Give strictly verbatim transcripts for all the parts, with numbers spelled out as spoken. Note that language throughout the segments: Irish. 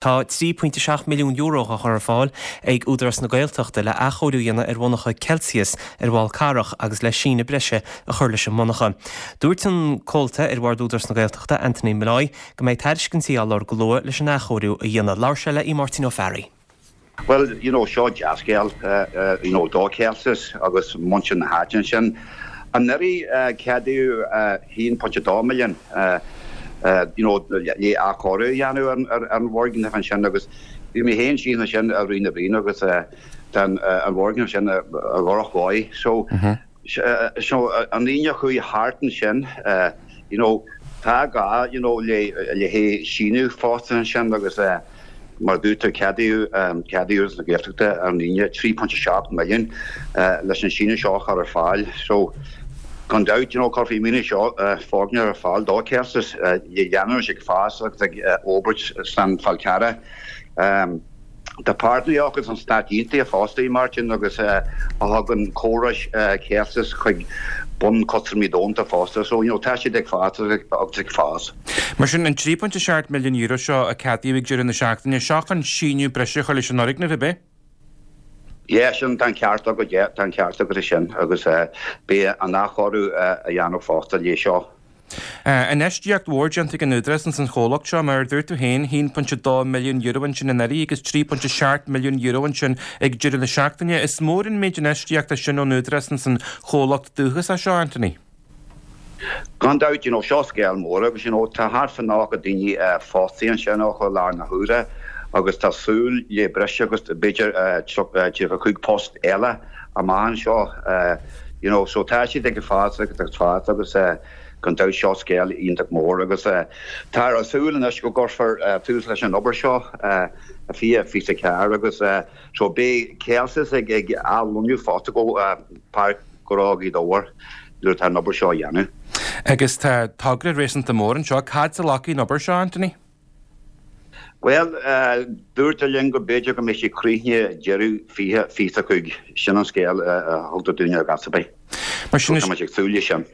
Tá trí pointe seacht milliún euro á chur ar fáil ag Údarás na Gaeltachta le athchóiriú a dhéanamh ar mhonarcha Celsius ar Fhál Carrach agus le síneadh breise a chur leis an monarcha. Dúirt an comhalta ar Bhord Údarás na Gaeltachta, Anthony Molloy, go mbeidh tairiscintí á lorg go luath leis an athchóiriú a dhéanamh. Labhair sé le Máirtín Ó Fearraigh. Well, you know, seo dea-scéal uh, uh, you know, do Celsius agus muintir na háite ansin. Anuraidh uh, ceadaíodh uh, haon pointe dó milliún uh, uh, you know, le athchóiriú a dhéanamh ar an bhfoirgneamh ansin agus bhí mé féin síos ansin i rith na bliana agus uh, tá uh, an foirgneamh sin a dhrochbhail. So, mm -hmm. so an líne chuaigh thart ansin, uh, you know, tá gá you know, le le hé síneadh fosta ansin agus uh, mar dúirt ceadaíodh um, ceadaíodh na Gaeltachta an líne trí pointe seacht milliún uh, leis an síneadh seo chur ar fáil. So gan dabht you know, chuirfí míne seo uh, foirgneamh ar fáil do Celsius uh, le leanúint ag fás agus ag uh, obair san Fál Carrach. Um, Tá páirtnéir agus an Stáit Aontaithe fosta Martin agus uh, a thugann córais uh, Celsius chuig bun custaiméirí domhanda fosta, so you know, tá siad ag fás agus ag fás. Mar sin an trí pointe seacht milliún euro seo a ceadaíodh ag deireadh na seachtaine seo chun síneadh breise chur leis an fhoirgneamh ab ea? Yeah, sin tá ceart agat yeah, tá ceart agat sin agus uh, beidh an athchóiriú uh, a dhéanamh fosta le seo. Infheistíocht mhór déanta ag an Údarás ins an chomhlacht seo mar dúirt tú féin haon pointe dó milliún euro ansin anuraidh agus trí pointe seacht milliún euro ansin ag deireadh na seachtaine. Is mór an méid infheistíochta sin ón Údarás ins an chomhlacht dúchasach seo Anthony. Gan dabht you know, seo scéal mór agus you know, tá thart fá nócha daoine uh, fostaithe ansin ó i láthair na huaire agus tá súil le breis agus b'fhéidir uh, cúig post eile amach anseo uh, you know, so tá siad ag fás agus ag fás agus uh, gan dabht seo scéal iontach mór agus uh, tá a súil anois go gcuirfear uh, tús leis an obair seo uh, a fiche fiche ceathair agus uh, so beidh Celsius ag ag athlonnú fosta go uh, Páirc Ghnó Ghaoth Dobhair nuair tá an obair seo dhéanamh. Agus tá togra réasúnta mór anseo cad a lacín obair seo Anthony? Well, uh, dúirt linn go b'fhéidir go mbeidh sé críochnaithe deireadh fiche fiche cúig sin an scéal thugtar dúinne a gasabé. Mar sin ag súil sin.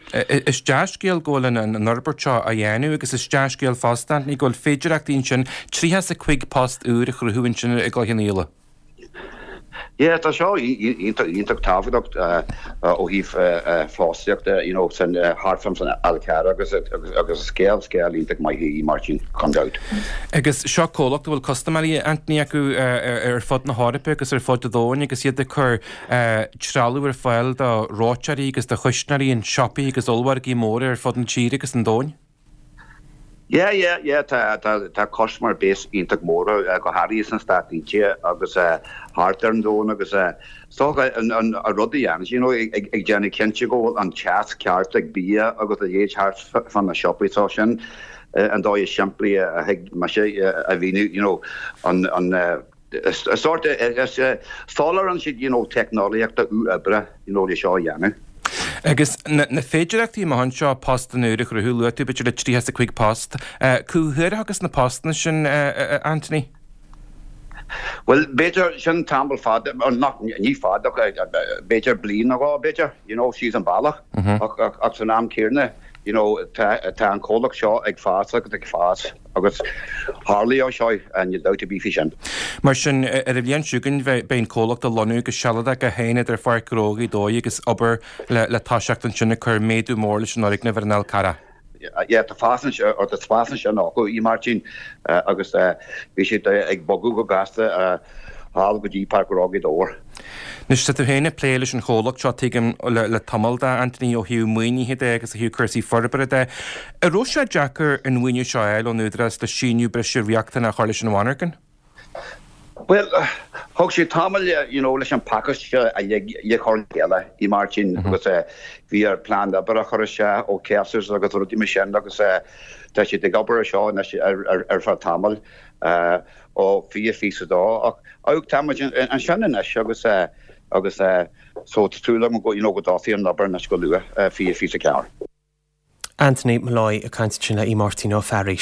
Is dea-scéal go bhfuil an fhorbairt seo á dhéanamh agus is dea-scéal fosta ní go bhfuil féidearthachtaí ansin tríocha is a cúig post úr a chruthú ansin i gCloich Cheann Fhaola. Yeah, tá seo iontach tábhachtach ó thaobh fostaíochta you know, san thart san Fhál Carrach agus agus scéal scéal iontach maith í Martin gan dabht. Agus seo comhlacht bhfuil custaiméirí Anthony acu ar fud na hEorpa agus ar fud an domhain agus iad ag cur trealamh ar fáil do reoiteoirí agus do chuisneoirí in siopaí agus ollmhargaí móra ar fud an tír agus an domhain. Yeah, yeah, yeah, tá tá tá customer base iontach mór uh, go háirithe sna Stáit Aontaithe agus uh, thart ar an domhan agus uh, so an an a rudaí an you know ag ag déanamh cinnte go bhfuil an teas ceart ag bia agus a dhéid thart fan na siopaí so sin uh, an dóigh simplí a thig mar sé a mhíniú you know an an uh, sort soláthraíonn siad you know teicneolaíochta oibre you know le seo dhéanamh. Agus na féidearthachtaí amach anseo post úr a chruthú luaigh tú b'fhéidir le tríocha is a cúig post. Cá huair agus na postanna sin Anthony? Well b'fhéidir sin tamall fada nach ní fada b'fhéidir bliain nó b'fhéidir you know síos an bealach ach san am céanna you know tá an comhlacht seo ag fás agus ag fás agus tharlóidh seo an dabht ar bith faoi sin. Mar sin ar an bhliain seo chugainn beidh an comhlacht ag lonnú go sealadach go haon idir Pháirc Ghnó Ghaoth Dobhair agus obair le le toiseacht ansin ag cur méadú mór leis an fhoirgneamh ar an Fhál Carrach. Yeah, tá fásan or tá fásan sin acu í Martin agus bhí siad ag bogadh go gasta thall go dtí Páirc Ghnó Ghaoth Dobhair. Anois tá tú féin ag plé leis an chomhlacht seo tuigim le, le tamall de Anthony ó thaobh maoinithe de agus ó thaobh cúrsaí forbartha de. An raibh sé deacair an maoiniú seo a fháil ón Údarás le síneadh breise riachtanach a chur leis an mhonarcha? Well, thug sé tamall you know, leis an pacáiste a le chur chéile i Martin mm -hmm. agus uh, bhí ar plean oibre a chur sé ó Celsius agus rudaí mar sin agus uh, tá siad ag obair seo ar, ar, ar feadh tamall uh, ó fiche fiche dó ach ach tá an sin anois agus uh, agus uh, so tú go you know, go dtosaí an obair anois go luath uh, fiche fiche ceathair. Anthony Molloy ag caint sin le í Martin Ó Fearraigh.